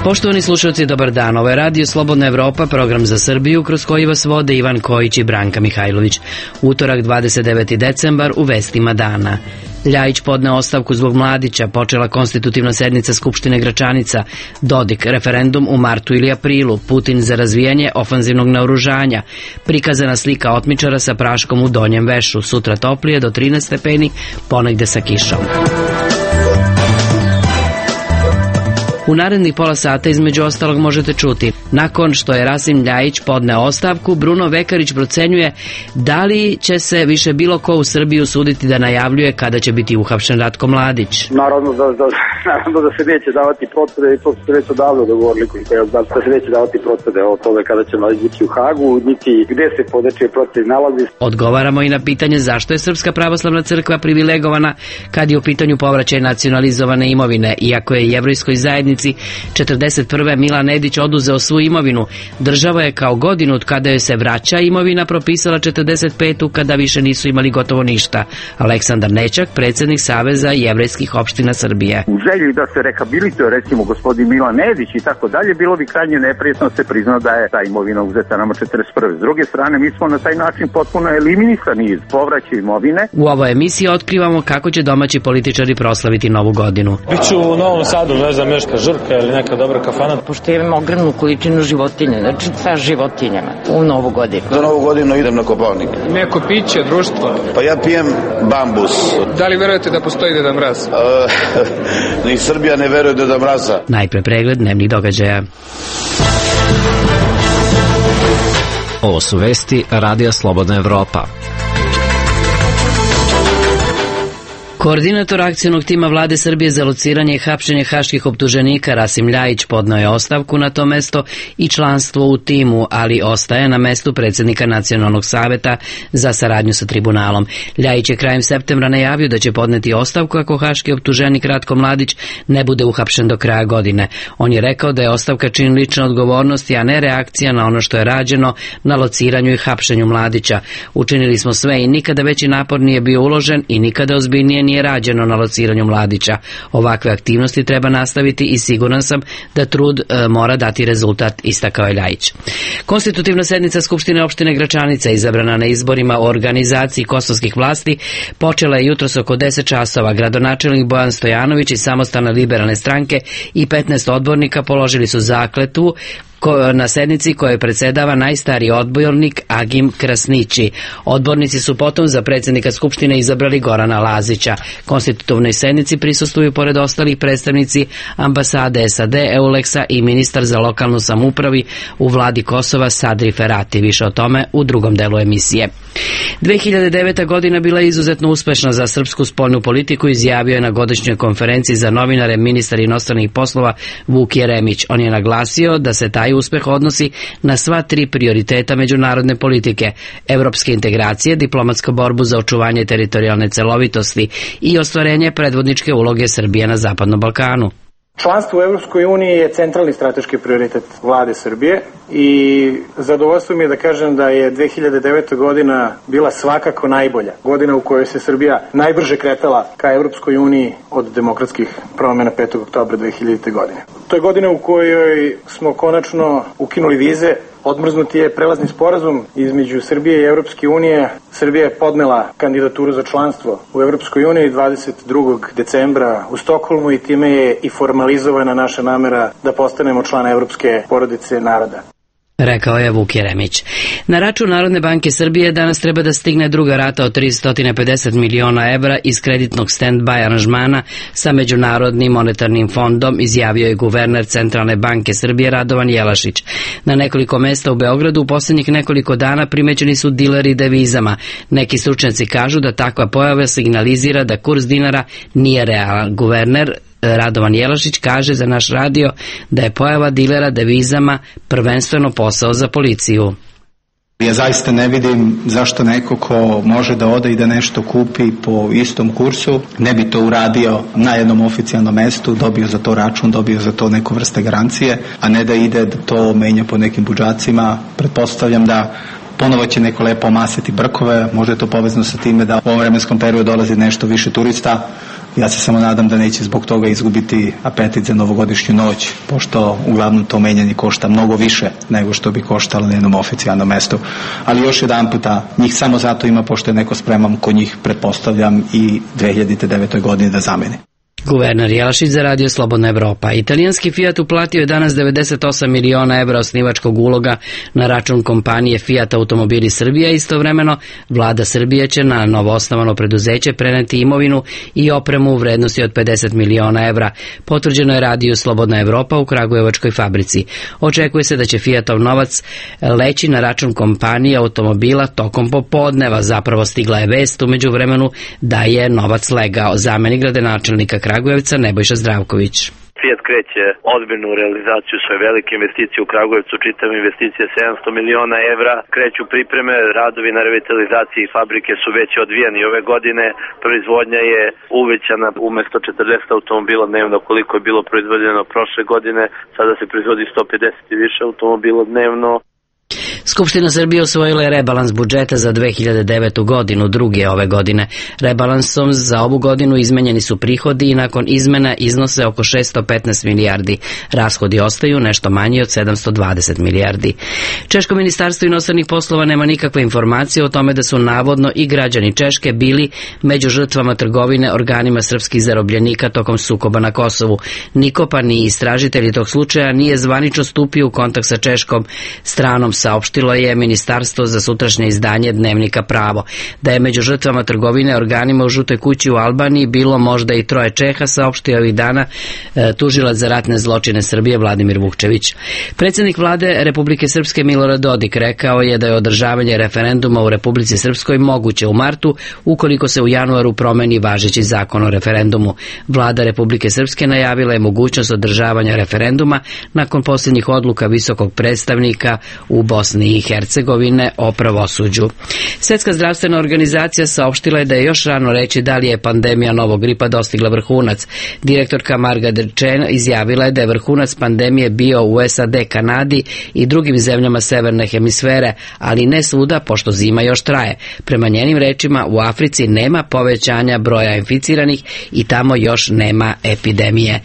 Poštovani slušalci, dobar dan. Ovo je Radio Slobodna Evropa, program za Srbiju, kroz koji vas vode Ivan Kojić i Branka Mihajlović. Utorak, 29. decembar, u vestima dana. Ljajić podneo ostavku zbog Mladića, počela konstitutivna sednica Skupštine Gračanica, Dodik, referendum u martu ili aprilu, Putin za razvijanje ofanzivnog naoružanja, prikazana slika otmičara sa praškom u Donjem Vešu, sutra toplije do 13 stepeni, ponegde sa kišom. U narednih pola sata između ostalog možete čuti: nakon što je Rasim Ljajić podneo ostavku, Bruno Vekarić procenjuje da li će se više bilo ko u Srbiji usuditi da najavljuje kada će biti uhapšen Ratko Mladić. Naravno da se neće davati procede, i to su se već odavno dogovorili, da se neće davati procede o tome kada će Mladić biti u Hagu, niti gde se podečije proced nalazi. Odgovaramo i na pitanje zašto je Srpska pravoslavna crkva privilegovana kad je u pitanju povraćaj nacionalizovane imovine, iako je jevrejskoj zajednici 41. Milan Nedić oduzeo svu imovinu. Država je kao godinu od kada joj se vraća imovina propisala 45. kada više nisu imali gotovo ništa. Aleksandar Nećak, predsjednik Saveza jevrejskih opština Srbije. U želji da se rehabilituje recimo gospodin Milan Nedić i tako dalje, bilo bi krajnje neprijatno se prizna da je ta imovina uzeta nama 41. S druge strane, mi smo na taj način potpuno eliminisani iz povraćaja imovine. U ovoj emisiji otkrivamo kako će domaći političari proslaviti novu godinu. Biću u Novom Sadu, ne znam, Meška Žrka ili neka dobra kafana. Pošto imam ogromnu količinu životinja, znači sa životinjama u Novu godinu. Za Novu godinu idem na Kopaonik. Neko piće, društvo? Pa ja pijem bambus. Da li verujete da postoji Deda Mraz? Ni Srbija ne veruje Deda Mraza. Najpre pregled dnevnih događaja. Ovo su vesti Radija Slobodna Evropa. Koordinator akcionog tima vlade Srbije za lociranje i hapšenje haških optuženika Rasim Ljajić podneo je ostavku na to mesto i članstvo u timu, ali ostaje na mestu predsjednika Nacionalnog saveta za saradnju sa tribunalom. Ljajić je krajem septembra najavio da će podneti ostavku ako haški optuženik Ratko Mladić ne bude uhapšen do kraja godine. On je rekao da je ostavka čin lične odgovornosti, a ne reakcija na ono što je rađeno na lociranju i hapšenju Mladića. Učinili smo sve i nikada veći napor nije bio uložen i nikada ozbiljnije nije rađeno na lociranju Mladića. Ovakve aktivnosti treba nastaviti i siguran sam da trud mora dati rezultat, istakao je Ljajić. Konstitutivna sednica Skupštine opštine Gračanica, izabrana na izborima o organizaciji kosovskih vlasti, počela je jutros oko 10 časova. Gradonačelnik Bojan Stojanović i Samostalne liberalne stranke i 15 odbornika položili su zakletvu na sednici kojoj predsedava najstariji odbornik Agim Krasnići. Odbornici su potom za predsjednika Skupštine izabrali Gorana Lazića. Konstitutivnoj sednici prisustvuju pored ostalih predstavnici ambasade SAD, EULEX-a i ministar za lokalnu samoupravi u vladi Kosova Sadri Ferati. Više o tome u drugom delu emisije. 2009. godina bila je izuzetno uspešna za srpsku spoljnu politiku, izjavio je na godišnjoj konferenciji za novinare ministar inostranih poslova Vuk Jeremić. On je naglasio da se taj uspeh odnosi na sva tri prioriteta međunarodne politike: evropske integracije, diplomatsku borbu za očuvanje teritorijalne celovitosti i ostvarenje predvodničke uloge Srbije na Zapadnom Balkanu. Članstvo u Evropskoj uniji je centralni strateški prioritet vlade Srbije i zadovoljstvo mi je da kažem da je 2009. godina bila svakako najbolja. Godina u kojoj se Srbija najbrže kretala ka Evropskoj uniji od demokratskih promjena 5. oktobra 2000. godine. To je godina u kojoj smo konačno ukinuli vize. Odmrznuti je prelazni sporazum između Srbije i Evropske unije. Srbija je podnela kandidaturu za članstvo u Evropskoj uniji 22. decembra u Stokholmu i time je i formalizovana naša namera da postanemo član Evropske porodice naroda, rekao je Vuk Jeremić. Na račun Narodne banke Srbije danas treba da stigne druga rata od 350 miliona evra iz kreditnog stand-by aranžmana sa Međunarodnim monetarnim fondom, izjavio je guverner Centralne banke Srbije Radovan Jelašić. Na nekoliko mesta u Beogradu u posljednjih nekoliko dana primećeni su dileri devizama. Neki stručnjaci kažu da takva pojava signalizira da kurs dinara nije realan. Guverner Radovan Jelašić kaže za naš radio da je pojava dilera devizama prvenstveno posao za policiju. Ja zaista ne vidim zašto neko ko može da ode i da nešto kupi po istom kursu, ne bi to uradio na jednom oficijalnom mestu, dobio za to račun, dobio za to neku vrste garancije, a ne da ide da to menja po nekim budžacima. Pretpostavljam da ponovo će neko lepo omasiti brkove, možda je to povezano sa time da u ovom vremenskom periodu dolazi nešto više turista. Ja se samo nadam da neće zbog toga izgubiti apetit za novogodišnju noć, pošto uglavnom to menjanje košta mnogo više nego što bi koštalo na jednom oficijalnom mestu. Ali još jedan puta, njih samo zato ima pošto je neko spreman ko njih, pretpostavljam, i 2009. godine da zameni. Guverner Jelašić za Radio Slobodna Evropa. Italijanski Fiat uplatio je danas 98 miliona evra osnivačkog uloga na račun kompanije Fiat Automobili Srbija. Istovremeno, vlada Srbije će na novoosnovano preduzeće preneti imovinu i opremu u vrednosti od 50 miliona evra. Potvrđeno je Radio Slobodna Evropa u Kragujevačkoj fabrici. Očekuje se da će Fiatov novac leći na račun kompanije automobila tokom popodneva. Zapravo stigla je vest u međuvremenu da je novac legao. Zamenik gradonačelnika Kragujevca Nebojša Zdravković. Fiat kreće ozbiljnu realizaciju svoje velike investicije u Kragujevcu, čitav investicija 700 miliona evra. Kreću pripreme, radovi na revitalizaciji fabrike su već odvijani ove godine. Proizvodnja je uvećana, umesto 40 automobila dnevno koliko je bilo proizvedeno prošle godine, sada se proizvodi 150 i više automobila dnevno. Skupština Srbije usvojila je rebalans budžeta za 2009. godinu, drugi ove godine. Rebalansom za ovu godinu izmenjeni su prihodi i nakon izmena iznose oko 615 milijardi. Rashodi ostaju nešto manji od 720 milijardi. Češko ministarstvo inostranih poslova nema nikakve informacije o tome da su navodno i građani Češke bili među žrtvama trgovine organima srpskih zarobljenika tokom sukoba na Kosovu. Niko pa ni istražitelji tog slučaja nije zvanično stupio u kontakt sa češkom stranom, saopštilo je Ministarstvo za sutrašnje izdanje Dnevnika Pravo. Da je među žrtvama trgovine organima u Žutoj kući u Albaniji bilo možda i 3 Čeha, saopštio ovih dana tužilac za ratne zločine Srbije Vladimir Vukčević. Predsjednik vlade Republike Srpske Milorad Dodik rekao je da je održavanje referenduma u Republici Srpskoj moguće u martu ukoliko se u januaru promeni važeći zakon o referendumu. Vlada Republike Srpske najavila je mogućnost održavanja referenduma nakon posljednjih odluka visokog predstavnika u Bosni i Hercegovine o pravosuđu. Svjetska zdravstvena organizacija saopštila je da je još rano reći da li je pandemija novog gripa dostigla vrhunac. Direktorka Marga Derčen izjavila je da je vrhunac pandemije bio u SAD, Kanadi i drugim zemljama severne hemisfere, ali ne svuda pošto zima još traje. Prema njenim rečima, u Africi nema povećanja broja inficiranih i tamo još nema epidemije.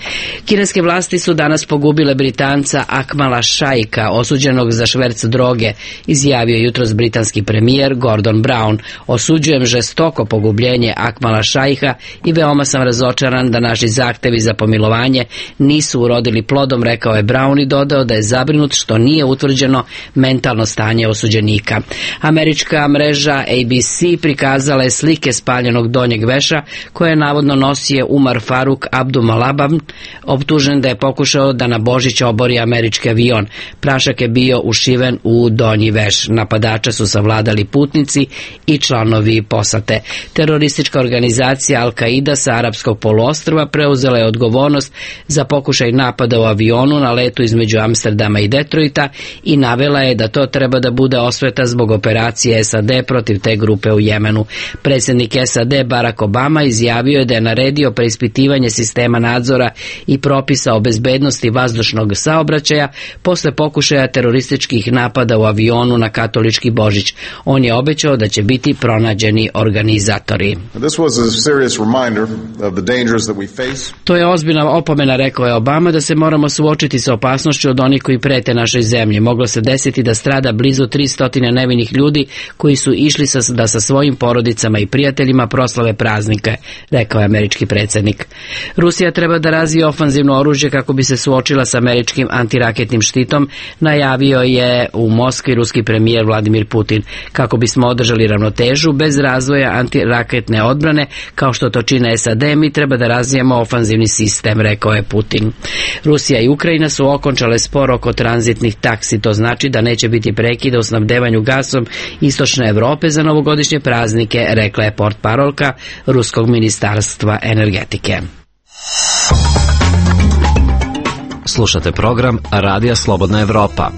Kineske vlasti su danas pogubile Britanca Akmala Šaika, osuđenog za šverc droge, izjavio jutros britanski premijer Gordon Brown. Osuđujem žestoko pogubljenje Akmala Šaiha i veoma sam razočaran da naši zahtevi za pomilovanje nisu urodili plodom, rekao je Brown i dodao da je zabrinut što nije utvrđeno mentalno stanje osuđenika. Američka mreža ABC prikazala je slike spaljenog donjeg veša koje je navodno nosio Umar Faruk Abdumalabam, optužen da je pokušao da na Božić obori američki avion. Prašak je bio ušiven u donji veš. Napadača su savladali putnici i članovi posade. Teroristička organizacija Al-Qaida sa arapskog poluostrva preuzela je odgovornost za pokušaj napada u avionu na letu između Amsterdama i Detroita i navela je da to treba da bude osveta zbog operacije SAD protiv te grupe u Jemenu. Predsjednik SAD Barack Obama izjavio je da je naredio preispitivanje sistema nadzora i propisa o bezbednosti vazdušnog saobraćaja posle pokušaja terorističkih napada u avionu na katolički Božić. On je obećao da će biti pronađeni organizatori. To je ozbiljna opomena, rekao je Obama, da se moramo suočiti sa opasnošću od onih koji prete našoj zemlji. Moglo se desiti da strada blizu 300 nevinih ljudi koji su išli da sa svojim porodicama i prijateljima proslave praznike, rekao je američki predsjednik. Rusija treba da razvije ofanzivno oružje kako bi se suočila sa američkim antiraketnim štitom, najavio je u Moskvi ruski premijer Vladimir Putin. Kako bismo održali ravnotežu bez razvoja antiraketne odbrane, kao što to čine SAD, mi treba da razvijemo ofanzivni sistem, rekao je Putin. Rusija i Ukrajina su okončale spor oko tranzitnih taksi. To znači da neće biti prekida u snabdevanju gasom istočne Evrope za novogodišnje praznike, rekla je portparolka Ruskog ministarstva energetike. Slušate program Radija Slobodna Evropa.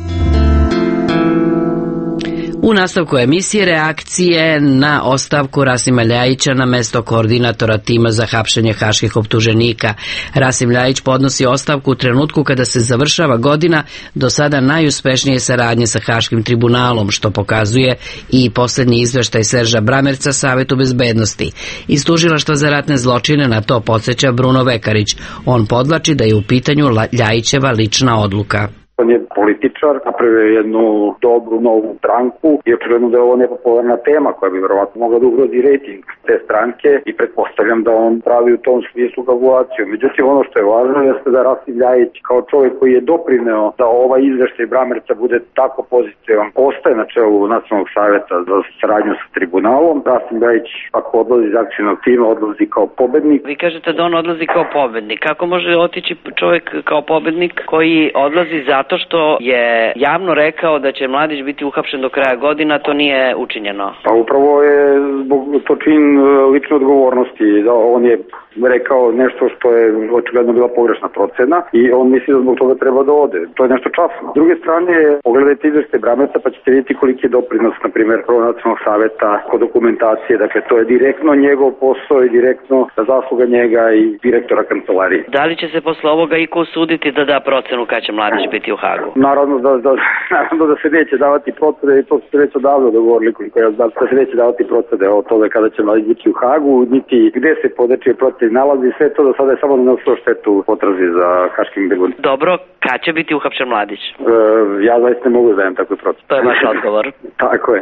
U U nastavku emisije reakcije na ostavku Rasima Ljajića na mesto koordinatora tima za hapšenje haških optuženika. Rasim Ljajić podnosi ostavku u trenutku kada se završava godina do sada najuspešnije saradnje sa Haškim tribunalom, što pokazuje i posljednji izveštaj Serža Bramerca Savetu bezbednosti. Iz tužilaštva za ratne zločine na to podsjeća Bruno Vekarić. On podvlači da je u pitanju Ljajićeva lična odluka. On je političar, napravio jednu dobru novu stranku i očigledno da je ovo nepopularna tema koja bi verovatno mogla da ugrozi rejting te stranke i pretpostavljam da on pravi u tom smislu kalkulaciju. Međutim, ono što je važno jeste da Rasim Ljajić kao čovjek koji je doprineo da ovaj izveštaj Bramerca bude tako pozitivan, ostaje na čelu Nacionalnog saveta za saradnju sa tribunalom. Rasim Ljajič, ako odlazi iz akcijnog tima, odlazi kao pobednik. Vi kažete da on odlazi kao pobednik. Kako može otići čovjek kao pobednik koji odlazi zato što je javno rekao da će Mladić biti uhapšen do kraja godina, to nije učinjeno? Pa upravo je zbog to čin lične odgovornosti, da on je rekao nešto što je očigledno bila pogrešna procena i on misli da zbog toga treba da ode. To je nešto časno. S druge strane, pogledajte izveštaj Bramerca pa ćete vidjeti koliki je doprinos, na primjer, Nacionalnog saveta kod dokumentacije. Dakle, to je direktno njegov posao i direktno zasluga njega i direktora kancelarije. Da li će se posle ovoga iko usuditi da da procenu kad će Mladić biti u Hagu? Naravno da se neće davati procede i to su se već odavno dogovorili, koliko ja znam, da se neće davati procede o tome kada će Mladić biti u Hagu, niti gde se podečije procede nalazi, sve to do sada je samo nanosilo štetu potrazi za Haškim tribunalom. Dobro, kad će biti uhapšen Mladić? Ja zaista ne mogu da dajem takvu procenu. To je vaš odgovor. Tako je.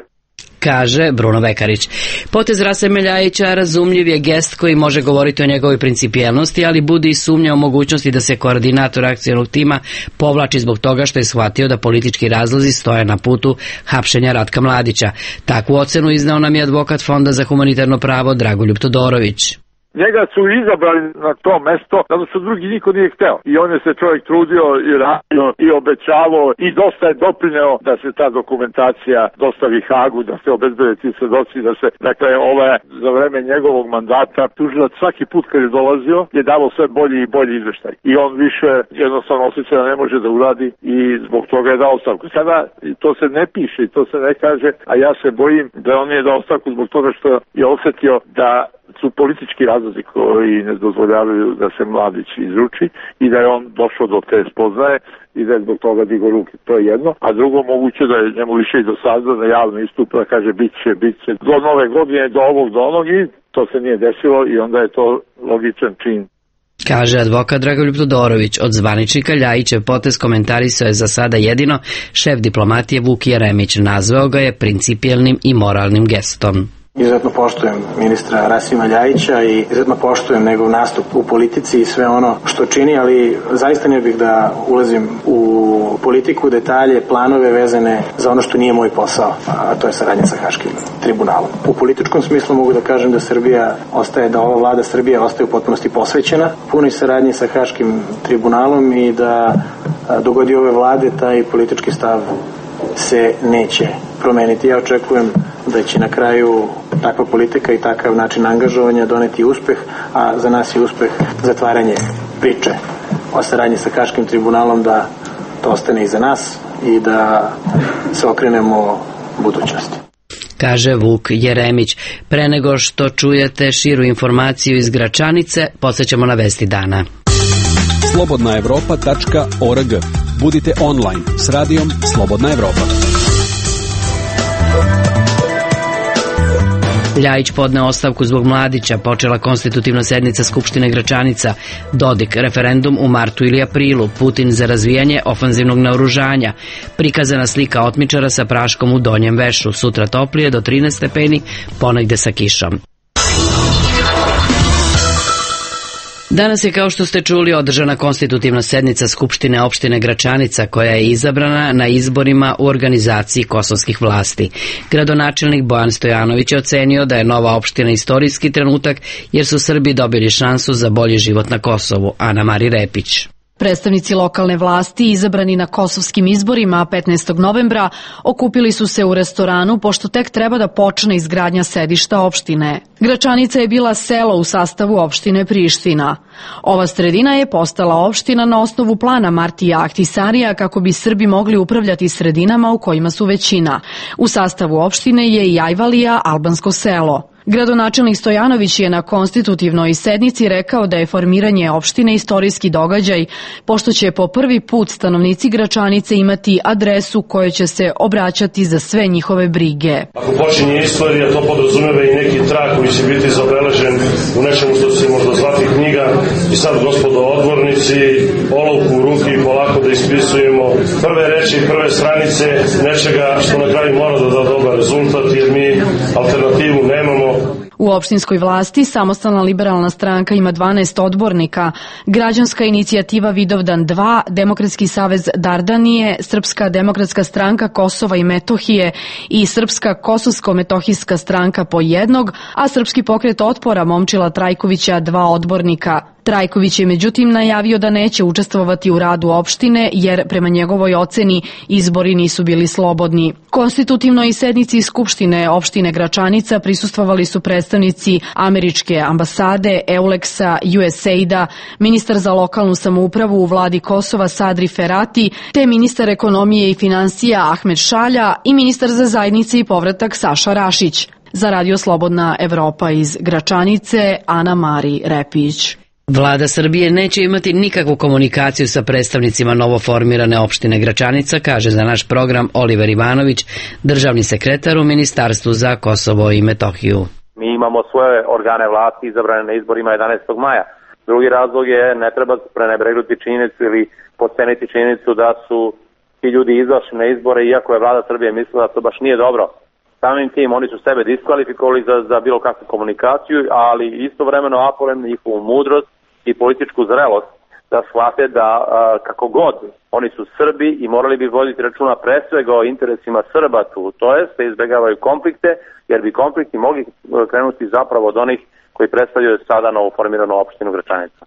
Kaže Bruno Vekarić. Potez Rasima Ljajića razumljiv je gest koji može govoriti o njegovoj principijelnosti, ali budi i sumnja o mogućnosti da se koordinator akcijnog tima povlači zbog toga što je shvatio da politički razlozi stoje na putu hapšenja Ratka Mladića. Takvu ocenu iznao nam je advokat Fonda za humanitarno pravo Dragoljub Todorović. Njega su izabrali na to mesto, zato što drugi niko nije hteo. I on je se čovjek trudio i radio i obećavao i dosta je doprineo da se ta dokumentacija dostavi Hagu, da se obezbede ti svedoci, da se, dakle, za vreme njegovog mandata tužilac svaki put kad je dolazio je davao sve bolji i bolji izveštaj. I on više jednostavno osjeća da ne može da uradi i zbog toga je dao ostavku. Sada to se ne piše i to se ne kaže, a ja se bojim da on je dao ostavku zbog toga što je osjetio da su politički razlozi koji ne dozvoljavaju da se Mladić izruči i da je on došao do te spoznaje i da je zbog toga digao ruke. To je jedno. A drugo, moguće da je njemu više i do sada da javno istupa, da kaže bit će do nove godine, do ovog, do onog i to se nije desilo i onda je to logičan čin. Kaže advokat Dragoljub Todorović. Od zvaničnika Ljajićev potez komentarisao je za sada jedino šef diplomatije Vuk Jeremić. Nazvao ga je principijelnim i moralnim gestom. Izuzetno poštujem ministra Rasima Ljajića i izuzetno poštujem njegov nastup u politici i sve ono što čini, ali zaista ne bih da ulazim u politiku, detalje, planove vezane za ono što nije moj posao, a to je saradnja sa Haškim tribunalom. U političkom smislu mogu da kažem da ova vlada Srbije ostaje u potpunosti posvećena punoj saradnji sa Haškim tribunalom i da dogodi ove vlade taj politički stav se neće promeniti. Ja očekujem da će na kraju takva politika i takav način angažovanja doneti uspeh, a za nas je uspeh zatvaranje priče o saradnji sa Haškim tribunalom, da to ostane iza nas i da se okrenemo budućnosti. Kaže Vuk Jeremić. Pre nego što čujete širu informaciju iz Gračanice, podsjećamo na vesti dana. slobodnaevropa.org. Budite online s radijom Slobodna Evropa. Ljajić podneo ostavku zbog Mladića, počela konstitutivna sednica Skupštine Gračanica, Dodik, referendum u martu ili aprilu, Putin za razvijanje ofanzivnog naoružanja, prikazana slika otmičara sa praškom u Donjem Vešu, sutra toplije do 13 stepeni, ponegde sa kišom. Danas je, kao što ste čuli, održana konstitutivna sednica Skupštine opštine Gračanica, koja je izabrana na izborima u organizaciji kosovskih vlasti. Gradonačelnik Bojan Stojanović je ocenio da je nova opština istorijski trenutak, jer su Srbi dobili šansu za bolji život na Kosovu. Ana Mari Repić. Predstavnici lokalne vlasti izabrani na kosovskim izborima 15. novembra okupili su se u restoranu pošto tek treba da počne izgradnja sedišta opštine. Gračanica je bila selo u sastavu opštine Priština. Ova sredina je postala opština na osnovu plana Martija Ahtisarija kako bi Srbi mogli upravljati sredinama u kojima su većina. U sastavu opštine je i Ajvalija, albansko selo. Gradonačelnik Stojanović je na konstitutivnoj sednici rekao da je formiranje opštine istorijski događaj, pošto će po prvi put stanovnici Gračanice imati adresu kojoj će se obraćati za sve njihove brige. Ako počinje istorija, to podrazumeva i neki trag koji će biti zabeležen u nečemu što se možda zvati knjiga. I sad, gospodo odbornici, olovku u ruki i polako da ispisujemo prve reči, prve stranice nečega što na kraju mora da da dobar rezultat, jer mi alternativu nemamo. U opštinskoj vlasti Samostalna liberalna stranka ima 12 odbornika, Građanska inicijativa Vidovdan 2, Demokratski savez Dardanije, Srpska demokratska stranka Kosova i Metohije i Srpska kosovsko-metohijska stranka po jednog, a Srpski pokret otpora Momčila Trajkovića 2 odbornika. Trajković je međutim najavio da neće učestvovati u radu opštine jer prema njegovoj oceni izbori nisu bili slobodni. Konstitutivnoj sednici Skupštine opštine Gračanica prisustvovali su predstavnici Američke ambasade, Euleksa, USAID-a, ministar za lokalnu samoupravu u vladi Kosova Sadri Ferati, te ministar ekonomije i finansija Ahmed Šalja i ministar za zajednice i povratak Saša Rašić. Za Radio Slobodna Evropa iz Gračanice, Ana Mari Repić. Vlada Srbije neće imati nikakvu komunikaciju sa predstavnicima novoformirane opštine Gračanica, kaže za naš program Oliver Ivanović, državni sekretar u Ministarstvu za Kosovo i Metohiju. Mi imamo svoje organe vlasti izabrane na izborima 11. maja. Drugi razlog je, ne treba prenebregnuti činjenicu ili podceniti činjenicu da su ti ljudi izašli na izbore, iako je Vlada Srbije mislila da to baš nije dobro. Samim tim oni su sebe diskvalifikovali za bilo kakvu komunikaciju, ali istovremeno apelujem na njihovu mudrost i političku zrelost da shvate da kako god oni su Srbi i morali bi voditi računa pre svega o interesima Srba tu, to jest da izbjegavaju konflikte, jer bi konflikti mogli krenuti zapravo od onih koji predstavljaju sada novoformiranu opštinu Gračanica.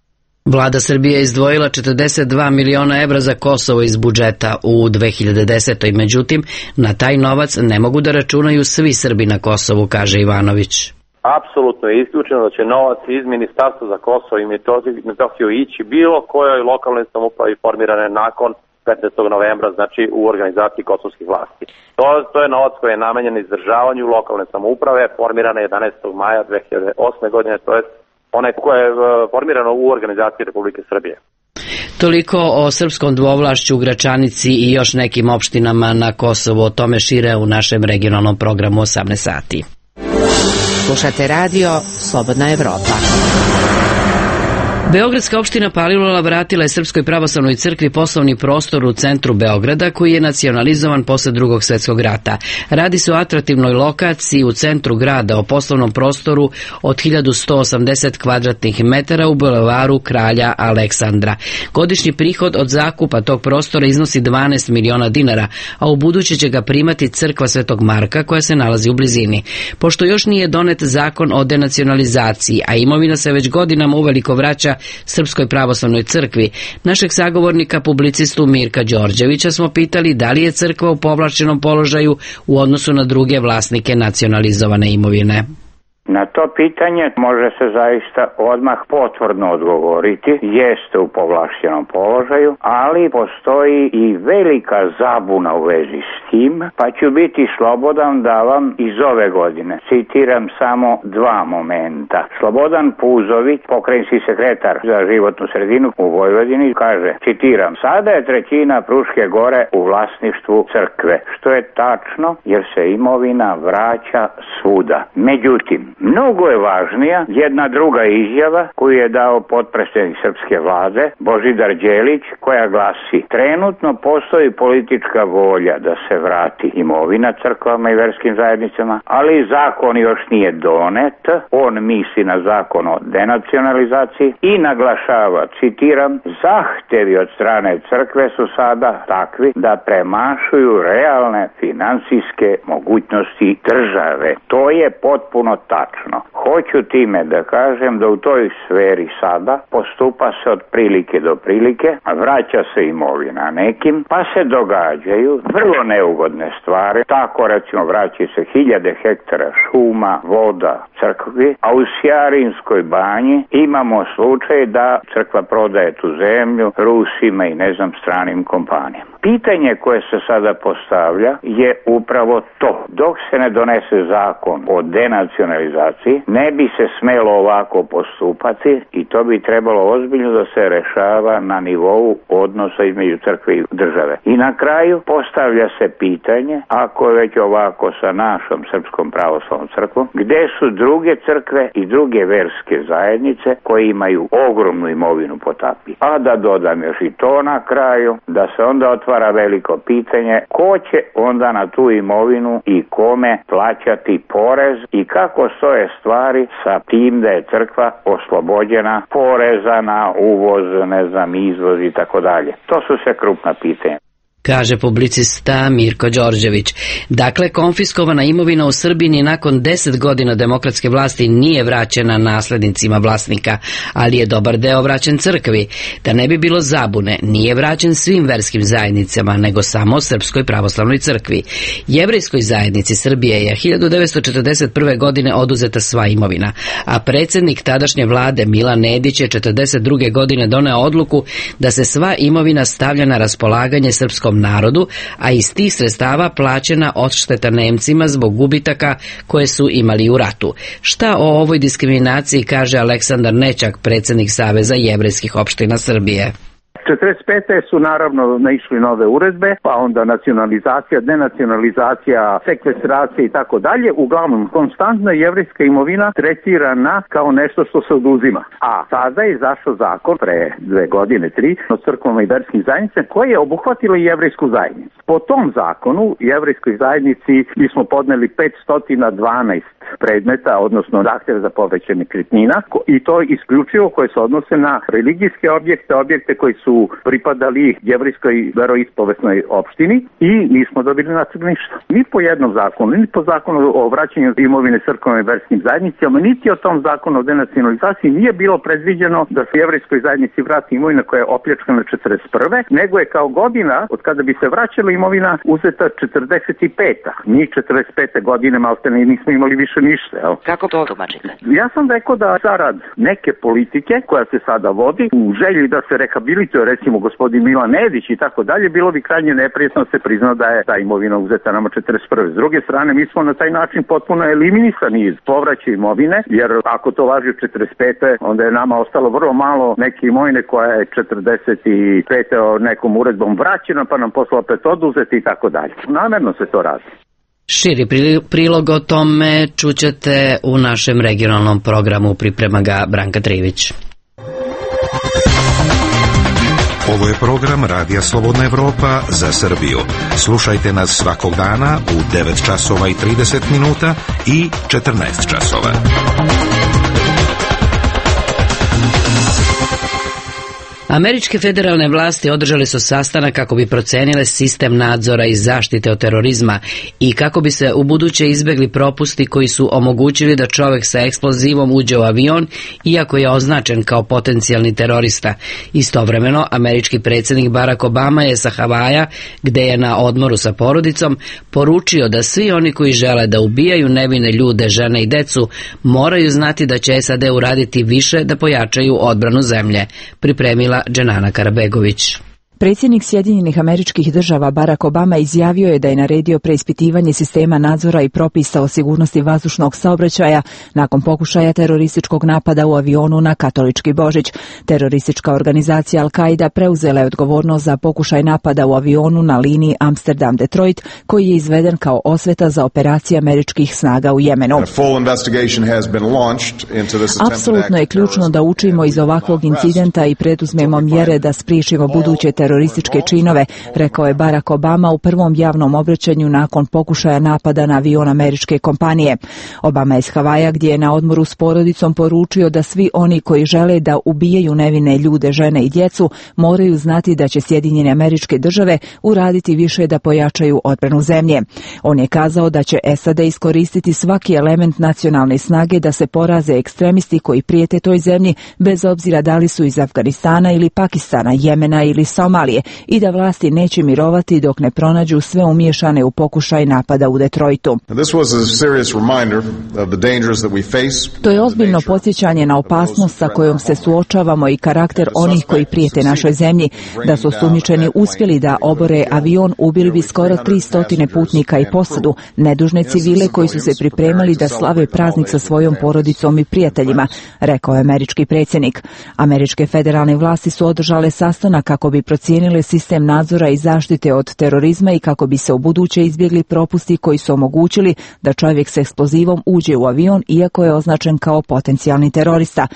Vlada Srbije je izdvojila 42 miliona evra za Kosovo iz budžeta u 2010. Međutim, na taj novac ne mogu da računaju svi Srbi na Kosovu, kaže Ivanović. Apsolutno je isključeno da će novac iz Ministarstva za Kosovo i Metohiju ići bilo kojoj lokalnoj samoupravi formirane nakon 15. novembra, znači u organizaciji kosovskih vlasti. To je novac koji je namenjen izdržavanju lokalne samouprave, formirane 11. maja 2008. godine, to je onaj koje je formirano u organizaciji Republike Srbije. Toliko o srpskom dvovlašću u Gračanici i još nekim opštinama na Kosovu, o tome šire u našem regionalnom programu 18 sati. Slušate radio Slobodna Evropa. Beogradska opština Palilula vratila je Srpskoj pravoslavnoj crkvi poslovni prostor u centru Beograda koji je nacionalizovan posle Drugog svjetskog rata. Radi se o atraktivnoj lokaciji u centru grada, o poslovnom prostoru od 1180 kvadratnih metara u bulevaru Kralja Aleksandra. Godišnji prihod od zakupa tog prostora iznosi 12 miliona dinara, a u buduće će ga primati crkva Svetog Marka koja se nalazi u blizini. Pošto još nije donet zakon o denacionalizaciji, a imovina se već godinama uveliko vraća Srpskoj pravoslavnoj crkvi, našeg sagovornika publicistu Mirka Đorđevića smo pitali da li je crkva u povlašćenom položaju u odnosu na druge vlasnike nacionalizovane imovine. Na to pitanje može se zaista odmah potvrdno odgovoriti, jeste u povlašćenom položaju, ali postoji i velika zabuna u vezi s tim, pa ću biti slobodan da vam iz ove godine citiram samo dva momenta. Slobodan Puzović, pokrajinski sekretar za životnu sredinu u Vojvodini, kaže, citiram, sada je trećina Fruške gore u vlasništvu crkve, što je tačno jer se imovina vraća svuda. Međutim, mnogo je važnija jedna druga izjava koju je dao potpredsjednik srpske vlade Božidar Đelić, koja glasi: trenutno postoji politička volja da se vrati imovina crkvama i verskim zajednicama, ali zakon još nije donet. On misli na zakon o denacionalizaciji i naglašava, citiram, zahtevi od strane crkve su sada takvi da premašuju realne finansijske mogućnosti države. To je potpuno tačno. tačno. Hoću time da kažem da u toj sferi sada postupa se od prilike do prilike, vraća se imovina nekim, pa se događaju vrlo neugodne stvari. Tako recimo vraća se 1000 hektara šuma, voda, crkvi, a u Sjarinskoj banji imamo slučaj da crkva prodaje tu zemlju Rusima i stranim kompanijama. Pitanje koje se sada postavlja je upravo to. Dok se ne donese zakon o denacionalizaciji, ne bi se smelo ovako postupati i to bi trebalo ozbiljno da se rešava na nivou odnosa između crkve i države. I na kraju postavlja se pitanje, ako je već ovako sa našom Srpskom pravoslavnom crkvom, gde su druge crkve i druge verske zajednice koje imaju ogromnu imovinu po tapi. A da dodam još i to na kraju, da se onda otvara veliko pitanje ko će onda na tu imovinu i kome plaćati porez i kako stoje stvari sa tim da je crkva oslobođena poreza na uvoz, izvoz i tako dalje. To su sve krupna pitanja. Kaže publicista Mirko Đorđević. Dakle, konfiskovana imovina u Srbiji ni nakon 10 godina demokratske vlasti nije vraćena naslednicima vlasnika, ali je dobar deo vraćen crkvi. Da ne bi bilo zabune, nije vraćen svim verskim zajednicama, nego samo Srpskoj pravoslavnoj crkvi. Jevrejskoj zajednici Srbije je 1941. godine oduzeta sva imovina, a predsjednik tadašnje vlade Milan Nedić je 1942. godine doneo odluku da se sva imovina stavlja na raspolaganje srpskom narodu, a iz tih sredstava plaćena odšteta Nemcima zbog gubitaka koje su imali u ratu. Šta o ovoj diskriminaciji kaže Aleksandar Nećak, predsjednik Saveza jevrejskih opština Srbije? 45. su naravno naišli nove uredbe, pa onda nacionalizacija, denacionalizacija, sekvestracija i tako dalje. Uglavnom, konstantna jevrejska imovina tretirana kao nešto što se oduzima. A sada je izašao zakon pre 2 godine, 3, o crkvama i verskim zajednicama koji je obuhvatilo i jevrejsku zajednicu. Po tom zakonu, jevrejskoj zajednici mi smo podneli 512 predmeta, odnosno zahtjeva za povraćaj nekretnina i to isključivo koje se odnose na religijske objekte, objekte koji su pripadali jevrejskoj veroispovesnoj opštini i nismo dobili natrag ništa. Ni po jednom zakonu, ni po zakonu o vraćanju imovine crkvama i verskim zajednicama, niti o tom zakonu o denacionalizaciji nije bilo predviđeno da se jevrejskoj zajednici vrati imovina koja je opljačkana 41. nego je kao godina od kada bi se vraćala imovina uzeta 45. Njih 45. godine maltene nismo imali više ništa. Jel? Kako to tumačite? Ja sam rekao da zarad neke politike koja se sada vodi u želji da se rehabilituje recimo gospodin Milan Nedić i tako dalje, bilo bi krajnje neprijatno se prizna da je ta imovina uzeta nama 41. S druge strane, mi smo na taj način potpuno eliminisani iz povraćaja imovine, jer ako to važi u 45. onda je nama ostalo vrlo malo neke imovine koja je 45. nekom uredbom vraćena pa nam posle opet oduzeti i tako dalje. Namerno se to radi. Širi prilog o tome čućete u našem regionalnom programu, priprema ga Branka Trivić. Ovo je program Radija Slobodna Evropa za Srbiju. Slušajte nas svakog dana u 9 časova i 30 minuta i 14 časova. Američke federalne vlasti održali su sastanak kako bi procenile sistem nadzora i zaštite od terorizma i kako bi se ubuduće izbegli propusti koji su omogućili da čovjek sa eksplozivom uđe u avion iako je označen kao potencijalni terorista. Istovremeno, američki predsjednik Barack Obama je sa Havaja, gde je na odmoru sa porodicom, poručio da svi oni koji žele da ubijaju nevine ljude, žene i decu moraju znati da će SAD uraditi više da pojačaju odbranu zemlje. Pripremila Dženana Karabegović. Predsjednik Sjedinjenih Američkih Država Barack Obama izjavio je da je naredio preispitivanje sistema nadzora i propisa o sigurnosti vazdušnog saobraćaja nakon pokušaja terorističkog napada u avionu na katolički Božić. Teroristička organizacija Al-Qaida preuzela je odgovornost za pokušaj napada u avionu na liniji Amsterdam-Detroit, koji je izveden kao osveta za operacije američkih snaga u Jemenu. Apsolutno je ključno da učimo iz ovakvog incidenta i preduzmemo mjere da spriječimo buduće terorističke terorističke činove, rekao je Barack Obama u prvom javnom obraćanju nakon pokušaja napada na avion američke kompanije. Obama je s Havaja, gdje je na odmoru s porodicom, poručio da svi oni koji žele da ubijaju nevine ljude, žene i djecu moraju znati da će Sjedinjene Američke Države uraditi više da pojačaju odbranu zemlje. On je kazao da će SAD iskoristiti svaki element nacionalne snage da se poraze ekstremisti koji prijete toj zemlji, bez obzira da li su iz Afganistana ili Pakistana, Jemena ili Somalije, i da vlasti neće mirovati dok ne pronađu sve umiješane u pokušaj napada u Detroitu. To je ozbiljno podsjećanje na opasnost sa kojom se suočavamo i karakter onih koji prijete našoj zemlji. Da su osumnjičeni uspjeli da obore avion, ubili bi skoro 300 putnika i posadu, nedužne civile koji su se pripremali da slave praznik sa svojom porodicom i prijateljima, rekao je američki predsjednik. Američke federalne vlasti su održale sastanak kako bi procijenile sistem nadzora i zaštite od terorizma i kako bi se ubuduće izbjegli propusti koji su omogućili da čovjek s eksplozivom uđe u avion iako je označen kao potencijalni terorista.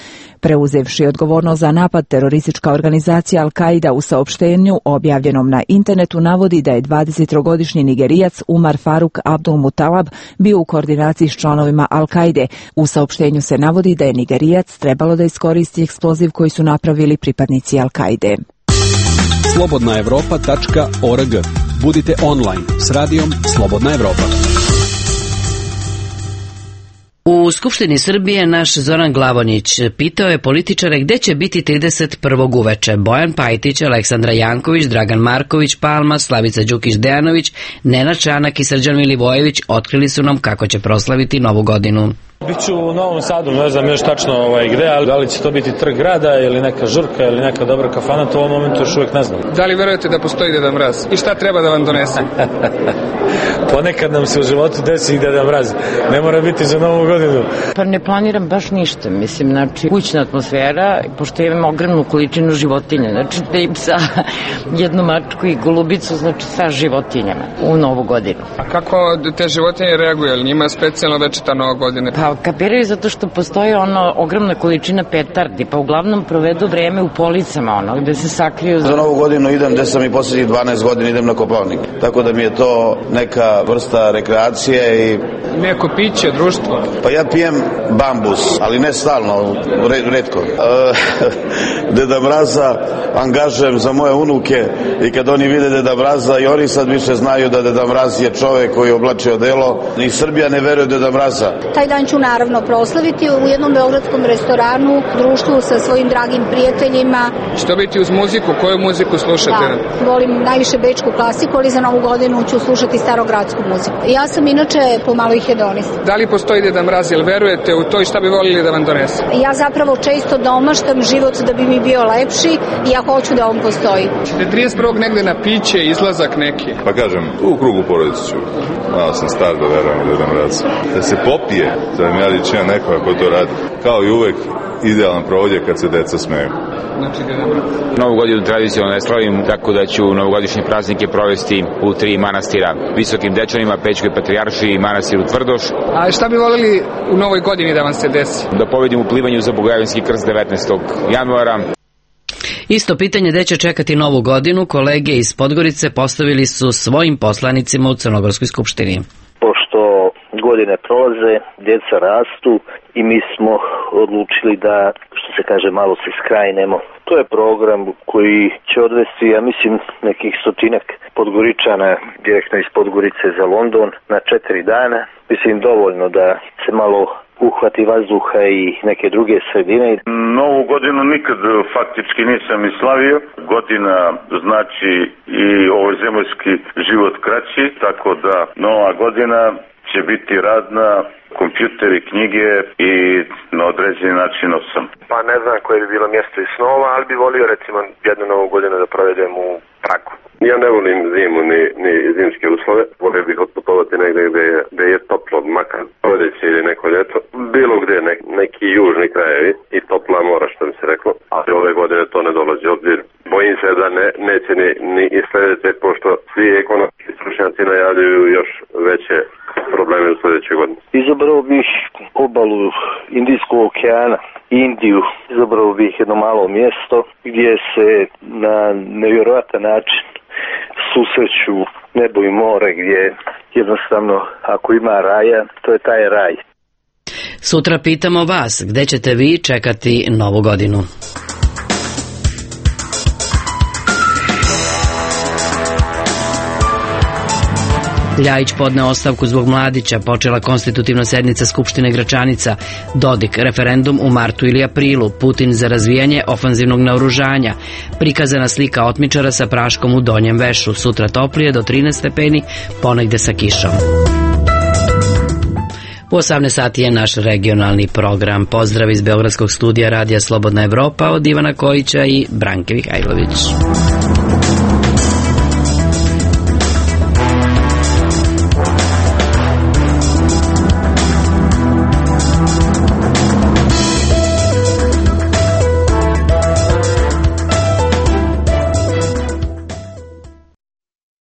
Preuzevši odgovornost za napad, teroristička organizacija Al-Qaida u saopštenju objavljenom na internetu navodi da je 23-godišnji Nigerijac Umar Faruk Abdul Mutalab bio u koordinaciji s članovima Al-Qaide. U saopštenju se navodi da je Nigerijac trebalo da iskoristi eksploziv koji su napravili pripadnici Al-Qaide. Slobodnaevropa.org. Budite online s radijom Slobodna Evropa. U Skupštini Srbije naš Zoran Glavonjić pitao je političare gde će biti 31. uveče. Bojan Pajtić, Aleksandra Janković, Dragan Marković Palma, Slavica Đukić-Dejanović, Nenad Čanak i Srđan Milivojević otkrili su nam kako će proslaviti Novu godinu. Biću u Novom Sadu, ne znam još tačno gde, ali da li će to biti trg grada ili neka žurka ili neka dobra kafana, to u ovom momentu još uvijek ne znam. Da li verujete da postoji Deda Mraz? I šta treba da vam donese? Ponekad nam se u životu desi i Deda Mraz. Ne mora biti za Novu godinu. Pa ne planiram baš ništa, mislim, znači kućna atmosfera, pošto imam ogromnu količinu životinja, znači da im sa jednu mačku i golubicu, znači sa životinjama u Novu godinu. A kako te životinje reaguju? Ali njima je specijalno večeta Nova godina? Pa kapiraju zato što postoji ogromna količina petardi, pa uglavnom provedu vreme u policama, gde se sakriju. Za Novu godinu idem, gde sam i posljednjih 12 godina idem na Kopaonik. Tako da mi je to neka vrsta rekreacije i... Neko piće, društvo? Pa ja pijem bambus, ali ne stalno, retko. Deda Mraza angažujem za moje unuke i kad oni vide Deda Mraza i oni sad više znaju da Deda Mraz je čovek koji je oblačio odelo. Ni Srbija ne veruje Deda Mraza. Taj dan ću naravno proslaviti u jednom beogradskom restoranu, društvu sa svojim dragim prijateljima. Što biti uz muziku? Koju muziku slušate? Da, volim najviše bečku klasiku, ali za Novu godinu ću slušati starogradsku muziku. Ja sam inače pomalo i hedonista. Da li postoji Deda Mraz, jel verujete u to i šta bi volili da vam donese? Ja zapravo često domaštam život da bi mi bio lepši i ja hoću da on postoji. Ćete 31. negde na piće, izlazak neki? Pa kažem, u krugu porodice ću. Malo sam star da verujem u Deda Mraz. Da se popije, da mi ja ličina nekoga ko to radi. Kao i uvek, idealan provod je kad se deca smeju. Znači, Deda Mraz. Novu godinu tradicionalno ne slavim, tako da ću novogodišnje praznike provesti u 3 manastira. Visokim Dečanima, Pećkoj Patrijaršiji i manastiru Tvrdoš. A šta bi volili u Novoj godini da vam se desi? Da pobedim u plivanju za Bogojevski krst 19. januara. Isto pitanje gde će čekati Novu godinu kolege iz Podgorice postavili su svojim poslanicima u Crnogorskoj skupštini. Pošto godine prolaze, djeca rastu i mi smo odlučili da, što se kaže, malo se skrajnemo. To je program koji će odvesti, ja mislim, nekih 100-ak Podgoričana direktno iz Podgorice za London na 4 dana. Mislim, dovoljno da se malo uhvati vazduha i neke druge sredine. Novu godinu nikad faktički nisam i slavio. Godina znači i ovozemaljski život kraći, tako da Nova godina će biti radna, kompjuteri, knjige i na određeni način osam. Pa ne znam koje bi bilo mjesto iz snova, ali bi volio recimo jednu Novu godinu da provedem u Pragu. Ja ne volim zimu ni zimske uslove. Volio bih otputovati negdje gdje je toplo, makar proljeće ili neko ljeto. Bilo gdje neki južni krajevi i topla mora, što mi se reklo. Ali ove godine to ne dolazi obzir. Bojim se da neće ni i sljedeće, pošto svi ekonomski stručnjaci najavljuju još veće probleme u sljedećoj godini. Izabrao bih obalu Indijskog okeana, Indiju. izabrao bih jedno malo mjesto gdje se na nevjerojatan način susreću nebo i more, gdje jednostavno ako ima raja, to je taj raj. Sutra pitamo vas, gde ćete vi čekati Novu godinu? Ljajić podneo ostavku zbog Mladića, počela konstitutivna sednica Skupštine Gračanica, Dodik, referendum u martu ili aprilu, Putin za razvijanje ofanzivnog naoružanja, prikazana slika otmičara sa praškom u Donjem Vešu, sutra toplije do 13 stepeni, ponegde sa kišom. U 18 sati je naš regionalni program. Pozdrav iz Beogradskog studija Radija Slobodna Evropa od Ivana Kojića i Branke Mihajlović.